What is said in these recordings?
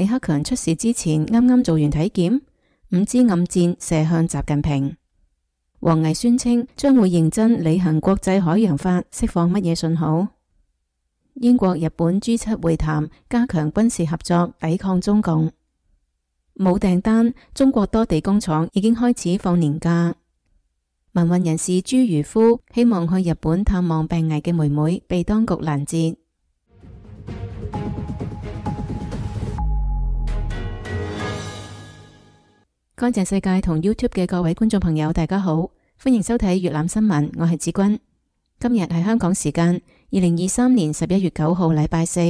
李克強出事之前啱啱做完體檢，5支暗箭射向習近平。王毅宣稱將會認真履行國際海洋法，釋放乜嘢信號？英國、日本 G7 會談，加強軍事合作，抵抗中共。冇訂單，中國多地工廠已經開始放年假。民運人士朱如夫希望去日本探望病危嘅妹妹，被當局攔截。乾淨世界同 YouTube 嘅各位觀眾朋友，大家好，歡迎收睇粵覽新聞，我係子君。今日係香港時間2023年11月9號禮拜四，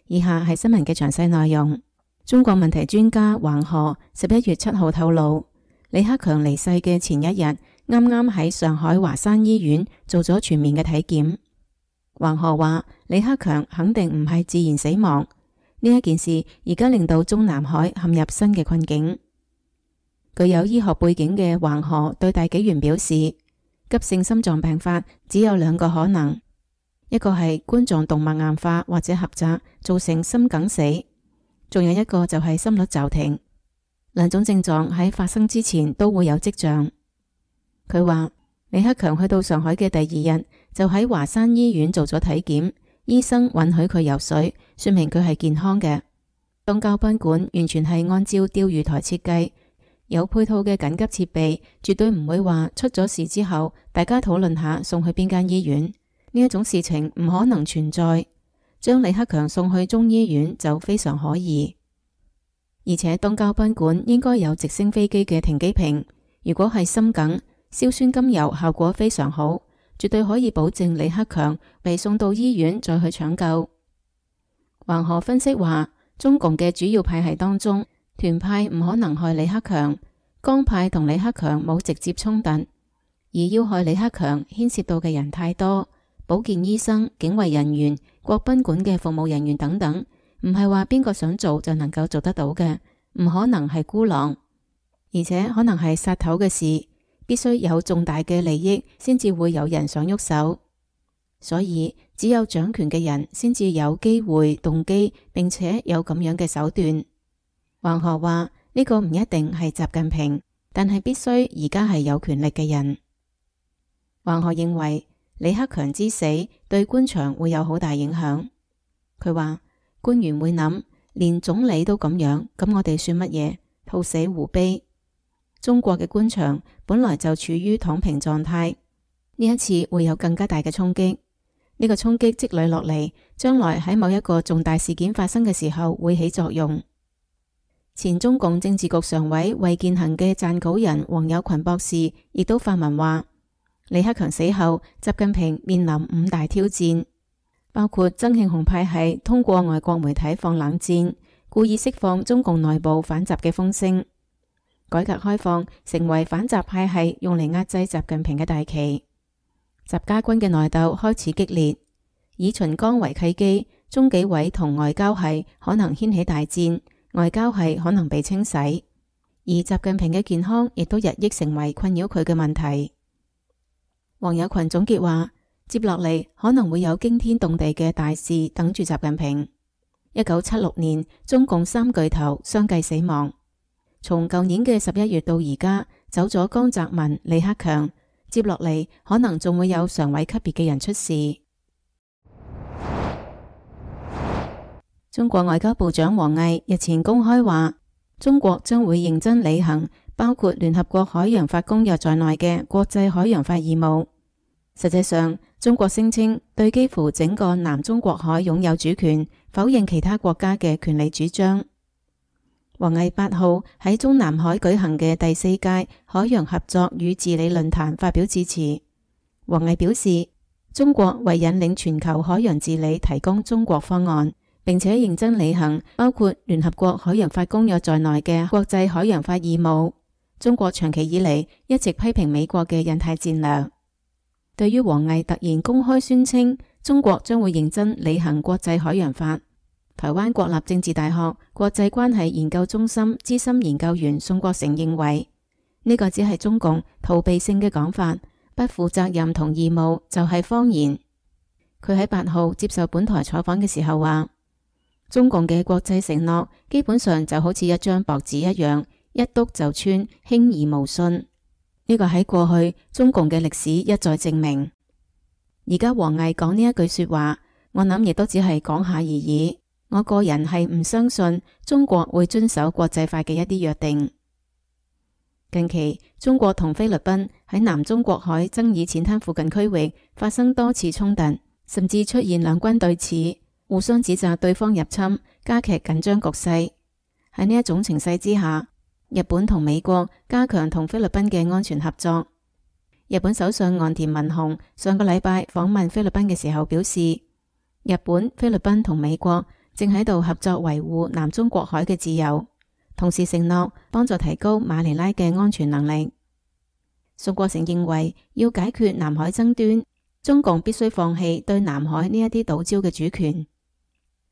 以下係新聞嘅詳細內容。中國問題專家橫河11月7號透露，李克強離世嘅前一日，啱啱喺上海華山醫院做咗全面嘅體檢。橫河話，李克強肯定唔係自然死亡，呢一件事而家令到中南海陷入新嘅困境。具有醫學背景嘅橫河對大紀元表示，急性心臟病發只有兩個可能，一個係冠狀動脈硬化或者狹窄造成心梗死，仲有一個就係心率驟停。兩種症狀喺發生之前都會有跡象。佢話李克強去到上海嘅第二日就喺華山醫院做咗體檢，醫生允許佢游水，說明佢係健康嘅。東郊賓館完全係按照釣魚台設計，有配套嘅緊急設備，絕對唔會話出咗事之後大家討論下送去邊間醫院，呢一種事情唔可能存在。將李克強送去中醫院就非常可疑。而且東郊賓館應該有直升飛機嘅停機坪，如果係心梗，硝酸甘油效果非常好，絕對可以保證李克強被送到醫院再去搶救。橫河分析話，中共嘅主要派系當中，團派唔可能害李克強，江派同李克強冇直接衝突，而要害李克強牽涉到嘅人太多，保健醫生、警衛人員、國賓館嘅服務人員等等，唔係話邊個想做就能夠做得到嘅，唔可能係孤狼，而且可能係殺頭嘅事，必須有重大嘅利益先至會有人想喐手，所以只有掌權嘅人先至有機會、動機，並且有咁樣嘅手段。橫河話，呢個唔一定係習近平，但係必須而家係有權力嘅人。橫河認為李克強之死對官場會有好大影響。佢話官員會諗，連總理都咁樣，咁我哋算乜嘢？兔死狐悲。中國嘅官場本來就處於躺平狀態，呢一次會有更加大嘅衝擊。呢個衝擊積累落嚟，將來喺某一個重大事件發生嘅時候會起作用。前中共政治局常委衛健行嘅撰稿人王友群博士亦都發文話，李克強死後，習近平面臨5大挑戰，包括曾慶紅派系通過外國媒體放冷箭，故意釋放中共內部反習嘅風聲，改革開放成為反習派系用嚟壓制習近平嘅大旗，習家軍嘅內鬥開始激烈，以秦剛為契機，中紀委同外交系可能掀起大戰，外交系可能被清洗，而習近平嘅健康亦都日益成為困擾佢嘅問題。王友群總結話，接落嚟可能會有驚天動地嘅大事等住習近平。1976年，中共3巨頭相繼死亡，從舊年嘅11月到而家，走咗江澤民、李克強，接落嚟可能仲會有常委級別嘅人出事。中國外交部長王毅日前公開話，中國將會認真履行包括聯合國海洋法公約在內嘅國際海洋法義務。實際上，中國聲稱對幾乎整個南中國海擁有主權，否認其他國家嘅權利主張。王毅8號喺中南海舉行嘅第4屆海洋合作與治理論壇發表致辭。王毅表示，中國為引領全球海洋治理提供中國方案，並且認真履行包括聯合國海洋法公約在內嘅國際海洋法義務。中國長期以嚟一直批評美國嘅印太戰略。對於王毅突然公開宣稱中國將會認真履行國際海洋法，台灣國立政治大學國際關係研究中心資深研究員宋國成認為，呢個只係中共逃避性嘅講法，不負責任同義務就係謊言。佢喺8號接受本台採訪嘅時候話，中共嘅國際承諾基本上就好似一張薄紙一樣，一篤就穿，輕而無信。呢個喺過去中共嘅歷史一再證明。而家王毅講呢一句說話，我諗亦都只係講下而已。我個人係唔相信中國會遵守國際法嘅一啲約定。近期中國同菲律賓喺南中國海爭議淺灘附近區域發生多次衝突，甚至出現兩軍對峙，互相指責對方入侵，加劇緊張局勢。喺呢一種情勢之下，日本同美國加強同菲律賓嘅安全合作。日本首相岸田文雄上個禮拜訪問菲律賓嘅時候表示，日本、菲律賓同美國正喺度合作維護南中國海嘅自由，同時承諾幫助提高馬尼拉嘅安全能力。宋國成認為，要解決南海爭端，中共必須放棄對南海呢一啲島礁嘅主權。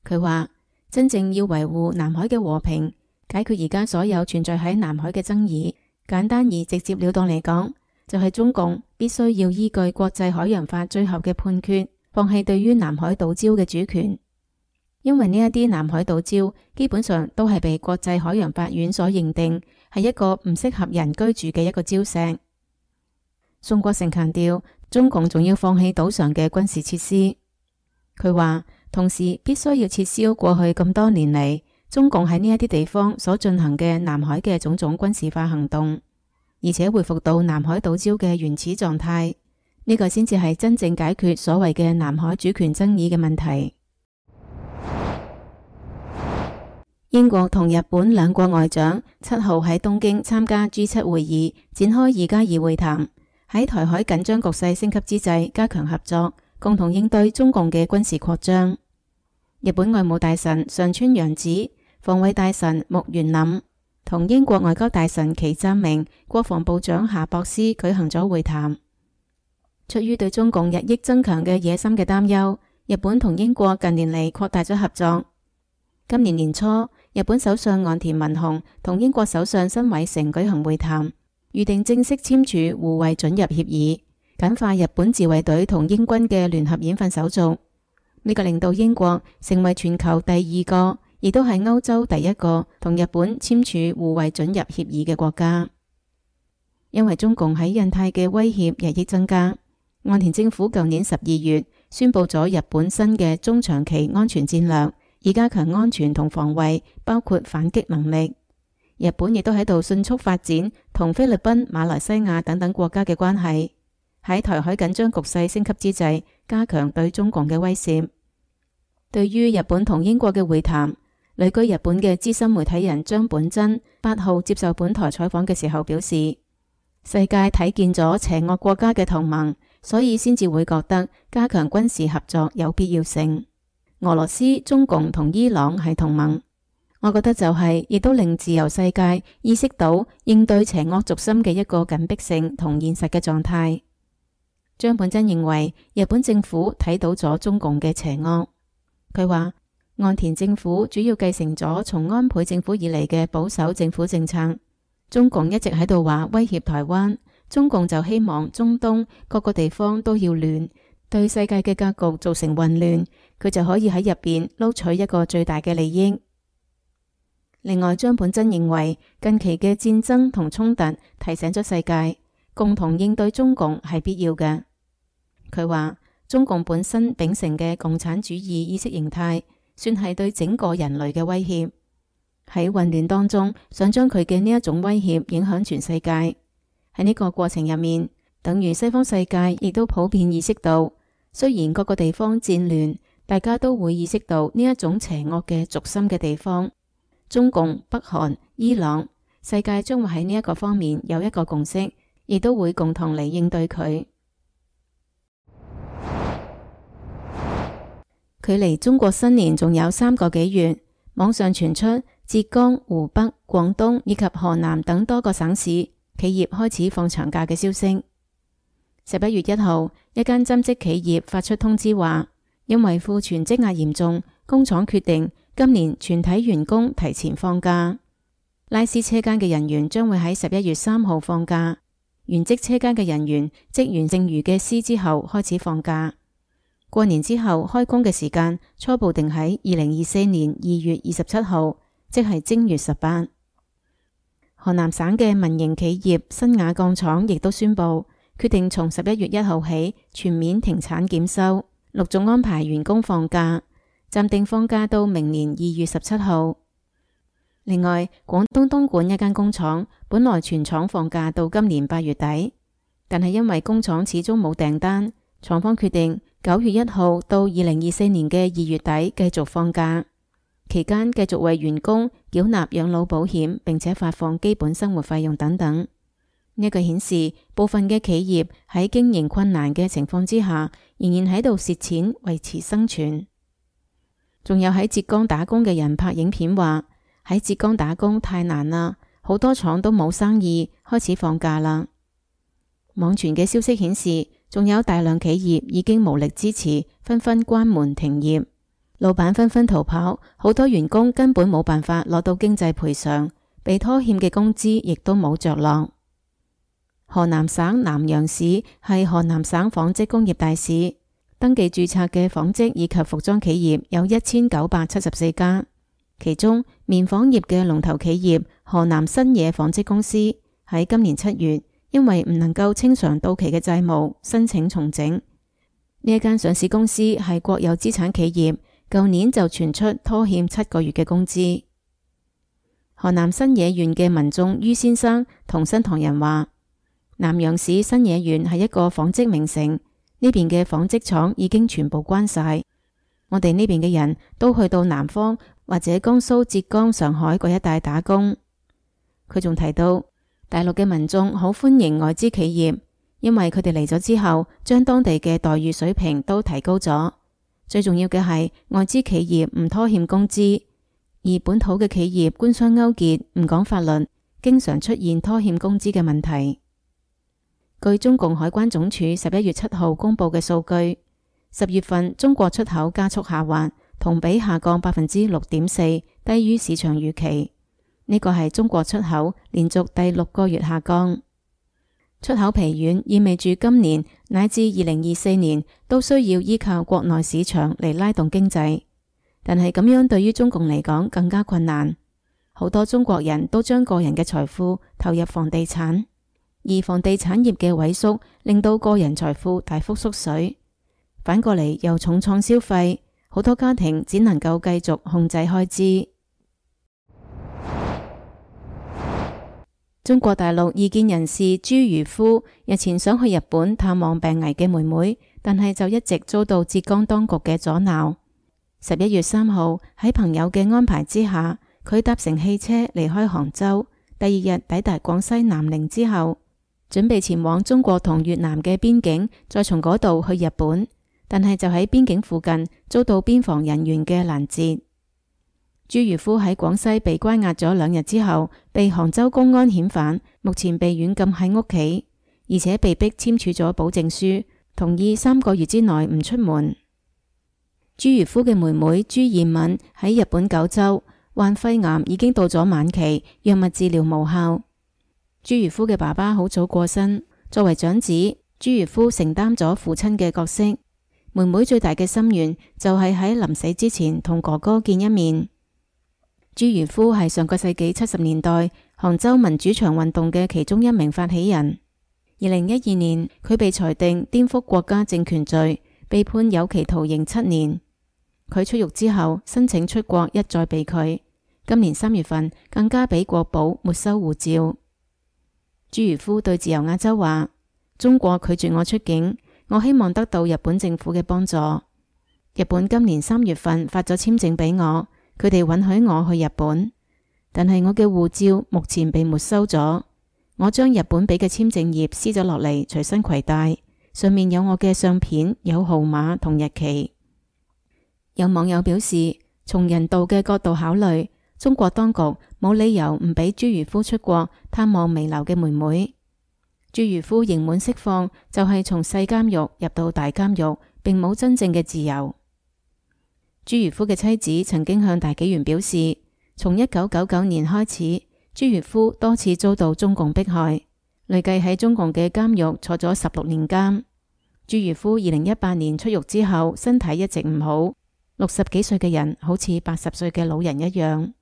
佢話，真正要維護南海嘅和平，解決而家所有存在喺南海嘅爭議，簡單而直接了當嚟講，就係中共必須要依據國際海洋法最後嘅判決，放棄對於南海島礁嘅主權。因為呢一啲南海島礁基本上都係被國際海洋法院所認定係一個唔適合人居住嘅一個礁石。宋國成強調，中共仲要放棄島上嘅軍事設施。佢話，同時必須要撤銷過去咁多年嚟中共喺呢一啲地方所進行嘅南海嘅種種軍事化行動，而且恢復到南海島礁嘅原始狀態。呢個先至係真正解決所謂嘅南海主權爭議嘅問題。英國同日本兩國外長7號喺東京參加 G7 會議，展開2+2會談，喺台海緊張局勢升級之際加強合作，共同應對中共嘅軍事擴張。日本外務大臣上川陽子、防衛大臣木原稔同英國外交大臣祁湛明、國防部長夏博斯舉行咗會談。出於對中共日益增強嘅野心嘅擔憂，日本同英國近年嚟擴大咗合作。今年年初，日本首相岸田文雄同英國首相辛偉誠舉行會談，預定正式簽署互惠准入協議，簡化日本自衛隊同英軍嘅聯合演訓手續。呢個令到英國成為全球第2個，亦都係歐洲第1個同日本簽署互惠准入協議嘅國家。因為中共喺印太嘅威脅日益增加，岸田政府舊年12月宣布咗日本新嘅中長期安全戰略，以加強安全同防衛，包括反擊能力。日本亦都喺度迅速發展同菲律賓、馬來西亞等等國家嘅關係，喺台海緊張局勢升級之際，加強對中共嘅威懾。對於日本同英國嘅會談，旅居日本嘅資深媒體人張本真8號接受本台採訪嘅時候表示，世界睇見咗邪惡國家嘅同盟，所以先至會覺得加強軍事合作有必要性。俄羅斯、中共同伊朗係同盟，我覺得就係亦都令自由世界意識到應對邪惡軸心嘅一個緊迫性同現實嘅狀態。張本真認為日本政府睇到咗中共嘅邪惡。佢話，岸田政府主要繼承咗從安倍政府以嚟嘅保守政府政策。中共一直喺度話威脅台灣，中共就希望中東各個地方都要亂，對世界嘅格局造成混亂，佢就可以喺入邊撈取一個最大嘅利益。另外，張本真認為近期嘅戰爭同衝突提醒咗世界，共同應對中共係必要嘅。佢話，中共本身秉承嘅共產主義意識形態，算係對整個人類嘅威脅。喺混亂當中，想將佢嘅呢一種威脅影響全世界。喺呢個過程入面，等於西方世界亦都普遍意識到，雖然各個地方戰亂，大家都會意識到呢一種邪惡嘅軸心嘅地方，中共、北韓、伊朗，世界將會喺呢一個方面有一個共識，亦都會共同嚟應對佢。距離中國新年仲有3個幾月，網上傳出浙江、湖北、廣東以及河南等多個省市企業開始放長假嘅消息。11月1號，一間針織企業發出通知話，因為庫存積壓嚴重，工廠決定今年全體員工提前放假。拉絲車間嘅人員將會喺11月3號放假，原織車間嘅人員織完剩餘嘅絲之後開始放假。過年之後開工嘅時間初步定喺2024年2月27號，即係正月18。河南省嘅民營企業新瓦鋼廠亦都宣布，決定從11月1號起全面停產檢修，陸續安排員工放假，暫定放假到明年2月17號。另外，廣東東莞一間工廠本來全廠放假到今年8月底，但係因為工廠始終冇訂單，廠方決定9月1號到2024年嘅2月底繼續放假，期間繼續為員工繳納養老保險，並且發放基本生活費用等等。呢個顯示部分嘅企業喺經營困難嘅情況之下，仍然喺度蝕錢維持生存。仲有喺浙江打工嘅人拍影片話，喺浙江打工太難啦，好多廠都冇生意，開始放假啦。網傳嘅消息顯示，仲有大量企業已經無力支持，紛紛關門停業，老闆紛紛逃跑，好多員工根本冇辦法攞到經濟賠償，被拖欠嘅工資亦都冇着落。河南省南陽市係河南省紡織工業大市，登記註冊嘅紡織以及服裝企業有1974家，其中棉紡業嘅龍頭企業河南新野紡織公司喺今年7月因為唔能夠清償到期嘅債務，申請重整。呢一間上市公司係國有資產企業，舊年就傳出拖欠7個月嘅工資。河南新野縣嘅民眾于先生同新唐人話，南陽市新野縣係一個紡織名城，呢邊嘅紡織廠已經全部關晒，我哋呢邊嘅人都去到南方或者江蘇、浙江、上海嗰一帶打工。佢仲提到，大陸嘅民眾好歡迎外資企業，因為佢哋嚟咗之後，將當地嘅待遇水平都提高咗。最重要嘅係外資企業唔拖欠工資，而本土嘅企業官商勾結，唔講法律，經常出現拖欠工資嘅問題。據中共海關總署11月7號公布嘅數據，10月份中國出口加速下滑，同比下降6.4%，低於市場預期。呢個係中國出口連續第6個月下降。出口疲軟意味住今年乃至2024年都需要依靠國內市場嚟拉動經濟，但係咁樣對於中共嚟講更加困難。好多中國人都將個人嘅財富投入房地產，而房地產業嘅萎縮令到個人財富大幅縮水，反過嚟又重創消費，好多家庭只能夠繼續控制開支。中國大陸異見人士朱如夫日前想去日本探望病危嘅妹妹，但係就一直遭到浙江當局嘅阻撓。11月3號喺朋友嘅安排之下，佢搭乘汽車離開杭州，第2日抵達廣西南寧之後，準備前往中國同越南嘅邊境，再從嗰度去日本，但係就喺邊境附近遭到邊防人員嘅攔截。朱如夫喺廣西被關押咗2日之後，被杭州公安遣返，目前被軟禁喺屋企，而且被逼簽署咗保證書，同意3個月之內唔出門。朱如夫嘅妹妹朱艷敏喺日本九州，患肺癌已經到咗晚期，藥物治療無效。朱如夫嘅爸爸好早過身，作為長子，朱如夫承擔咗父親嘅角色。妹妹最大嘅心願就係喺臨死之前同哥哥見一面。朱如夫係上個世紀70年代杭州民主牆運動嘅其中一名發起人。2012年，佢被裁定顛覆國家政權罪，被判有期徒刑7年。佢出獄之後申請出國一再被拒，今年3月份更加俾國保沒收護照。朱如夫對自由亞洲話：中國拒絕我出境，我希望得到日本政府嘅幫助。日本今年3月份發咗簽證俾我，佢哋允許我去日本，但係我嘅護照目前被沒收咗。我將日本俾嘅簽證頁撕咗落嚟，隨身攜帶，上面有我嘅相片，有號碼同日期。有網友表示，從人道嘅角度考慮，中國當局冇理由唔俾朱如夫出國探望彌留嘅妹妹。朱如夫刑滿釋放就係從細監獄入到大監獄，並冇真正嘅自由。朱如夫嘅妻子曾經向大紀元表示，從1999年開始，朱如夫多次遭到中共迫害，累計喺中共嘅監獄坐咗16年監。朱如夫2018年出獄之後，身體一直唔好，60幾歲嘅人好似80歲嘅老人一樣。呢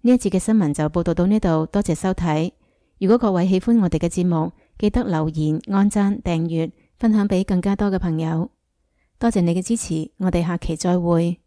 一節嘅新聞就報道到呢度，多謝收睇。如果各位喜歡我哋嘅節目，記得留言、按讚、訂閱、分享俾更加多嘅朋友。多謝你嘅支持，我哋下期再會。